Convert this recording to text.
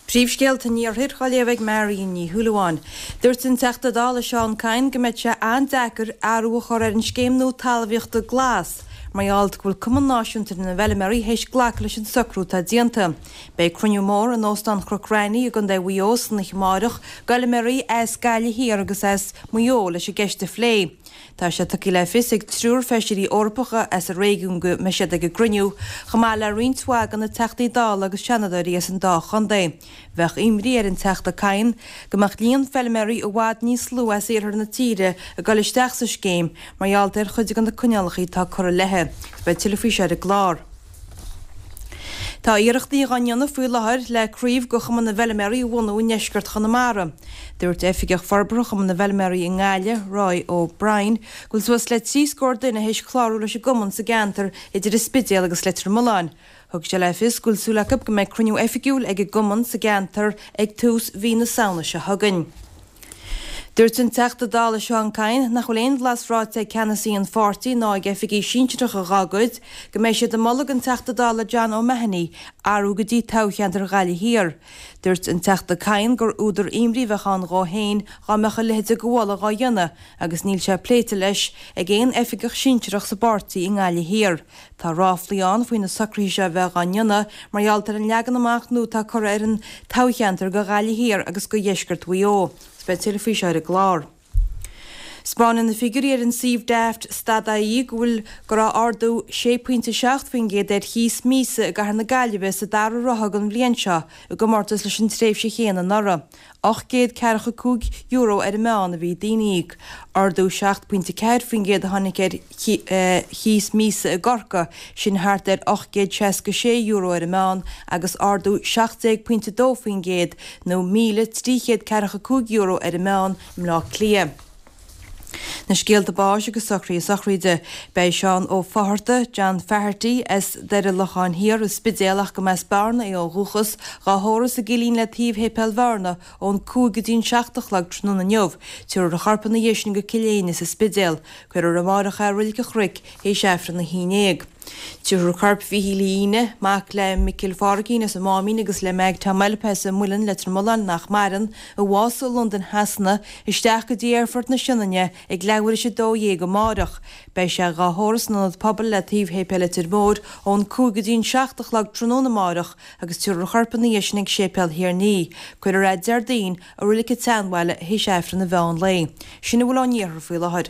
Príomhscéalta an Iarthair á léamh ag Marion Ní Shúilleabháin. Dúirt an Teachta Dála Seán Kyne go mbeidh sé an-deacair athrú a chur ar an scéim nua talmhaíochta glas mar gheall go bhfuil Cumann Náisiúnta na bhFeilméaraí théis glacadh leis an socrú atá déanta. Beidh cruinniú mór in Óstán Chnoc Raithní i gContae Mhaigh Eo san oíche amárach d'fheilméaraí as Gaillimh Thiar agus as Maigh Eo leis an gceist a phlé. Tá sé tugtha le fios ag triúr feisirí Eorpacha as an réigiún go mbeidh siad ag an gcruinniú, chomh maith le roinnt mhaith de na Teachtaí Dála agus Seanadóirí as an dá chontae. Bheadh imní ar an Teachta Kyne go mbeadh líon feilméaraí i bhfad níos lú as iarthar na tíre ag dul isteach sa scéim mar gheall ar chuid de na coinníollacha atá curtha léi. Beidh tuilleadh faoi seo ar an gclár. Tá iarrachtaí dhá ndéanamh faoi láthair le craobh de Chumann na bhFeilméaraí a bhunú i ndeisceart Chonamara. Dúirt Oifigeach Forbartha Chumann na bhFeilméaraí i nGaillimh, Roy O'Brien, go bhfuil suas le 30 scór duine théis clárú leis an gcumann sa gceantar idir an Spidéal agus Leitir Mealláin. Thug sé le fios go bhfuil súil acu go mbeidh cruinniú oifigiúil ag an gcumann sa gceantar ag tús mhí na Samhna seo chugainn. Dúirt an Teachta Dála Seán Kyne nach bhfuil aon bhlas ráite ag ceannasaí an pháirtí ná ag oifigigh sinsearacha dhá gcuid go mbeidh siad ag moladh don Teachta Dála John O'Mahony athrú go dtí toghcheantar Ghaillimh Thiar. Dúirt an Teachta Kyne gur údar imní a bheadh ann dhó féin dhá mbeadh a leithéid de mholadh dhá dhéanamh agus níl sé pléite leis ag aon oifigeach sinsearach sa bpáirtí i nGaillimh Thiar. Tá ráflaí ann faoi na socruithe seo a bheith dhá ndéanamh mar gheall ar an leagan amach nua atá curtha ar an toghcheantar do Ghaillimh Thiar agus do Dheisceart Mhaigh Eo. Agus beidh tuilleadh faoi seo ar an gclár. 'Spáineann na figiúirí ar an suíomh daft stad.ie go bhfuil go raibh ardú 6.7% ar chíos míosa i gcathair na Gaillimhe sa dara ráithe den bhliain seo i gcomórtas leis an tréimhse chéanna anuraidh. €845 ar an meán a bhí daoine a íoc. Ardú 7.4% a tháinig ar chíos míosa i gCorcaigh, sin thart ar €866 ar an meán, agus ardú 17.2% nó €1,345 ar an meán i mBleá Cliath. Na scéalta báis agus socruithe sochraide. Beidh Seán Ó Fátharta, John Faherty, as Doire Locháin Thiar, An Spidéal ach go mb'as Bearna é ó dhúchas, dhá thórramh sa gCillín le taobh Shéipéal Bhearna ón 5 go dtí an 7 a chlog tráthnóna inniu. Tabharfar a chorp ina dhiaidh sin go Cill Éinne sa Spidéal. Cuirfear amáireach é i Roilig an Chnoic théis Aifreann 11. Tabharfar corp Mhíchíl Uí Fhíne, mac le Micil Phádraicín as an Máimín agus le Meg Tom Eilpe as an Muileann, Leitir Mealláin, nach maireann, a bhásaigh i Londain Shasana, isteach go dtí Aerfort na Sionainne ag leathuair théis 12 amáireach. Beidh sé dhá thórramh san Ionad Pobail le taobh Shéipéal Leitir Móir ón 5 go dtí an 7 a chlog tráthnóna amáireach agus tabharfar a chorp ina dhiaidh sin ag Séipéal Thír an Fhia. Cuirfear é Déardaoin i Roilig an tSeanbhaile théis Aifreann an mheán lae. Sin a bhfuil ón iarthar faoi láthair.